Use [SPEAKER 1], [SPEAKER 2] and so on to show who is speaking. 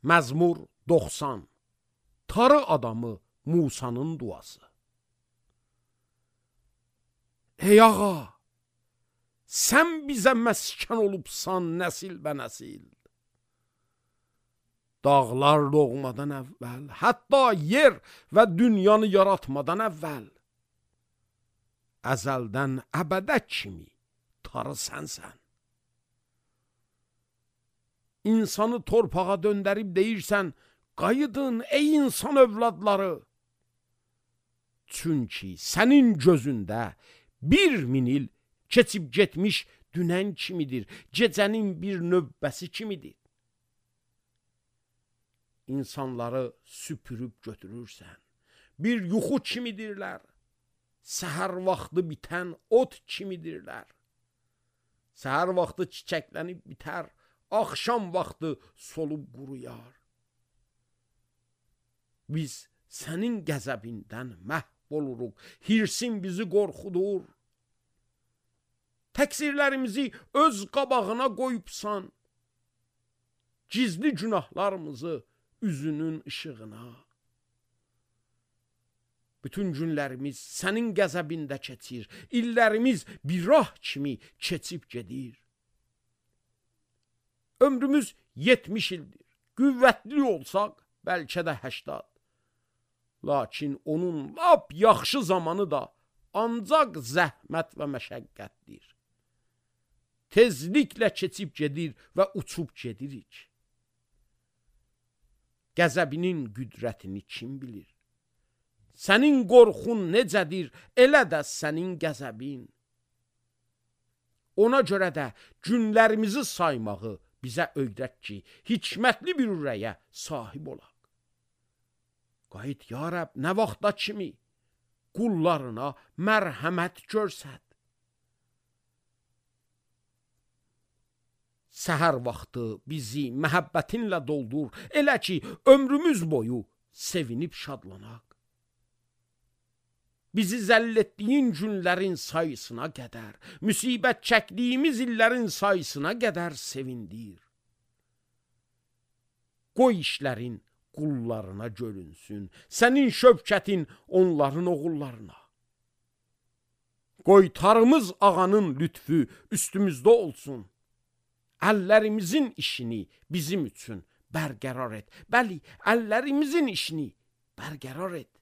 [SPEAKER 1] Məzmur 90. Tarı adamı Musanın duası. Ey ağa, sən bizə məskən olubsan nəsil bə nəsil. Dağlar doğmadan əvvəl, hətta yer və dünyanı yaratmadan əvvəl, əzəldən əbədə kimi tarı sənsən. İnsanı torpağa döndərib deyirsən, qayıdın ey insan övladları. Çünki sənin gözündə 1000 il keçib getmiş dünən kimidir, gecənin bir növbəsi kimidir. İnsanları süpürüb götürürsən, bir yuxu kimidirlər, səhər vaxtı bitən ot kimidirlər. Səhər vaxtı çiçəklənib bitər, axşam vaxtı solub quruyar. Biz sənin qəzəbindən məhv oluruq, hirsin bizi qorxudur. Təqsirlərimizi öz qabağına qoyubsan, gizli günahlarımızı üzünün işığına. Bütün günlərimiz sənin qəzəbində keçir, illərimiz bir rah kimi keçib gedir. Ömrümüz 70 ildir, qüvvətli olsaq, bəlkə də 80. Lakin onun lap yaxşı zamanı da ancaq zəhmət və məşəqqətdir. Tezliklə keçib gedir və uçub gedirik. Qəzəbinin qüdrətini kim bilir? Sənin qorxun necədir, elə də sənin qəzəbin. Ona görə də günlərimizi saymağı bizə öyrət ki, hikmətli bir ürəyə sahib olaq. Qayıt ya Rəbb, nə vaxta kimi qullarına mərhəmət görsət. Səhər vaxtı bizi məhəbbətinlə doldur, elə ki, ömrümüz boyu sevinib şadlanaq. Bizi zəll etdiyin günlərin sayısına qədər, müsibət çəkdiyimiz illərin sayısına qədər sevindir. Qoy işlərin qullarına görünsün, sənin şövkətin onların oğullarına. Qoy tarımız ağanın lütfü üstümüzdə olsun. Əllərimizin işini bizim üçün bərqərar et. Bəli, əllərimizin işini bərqərar et.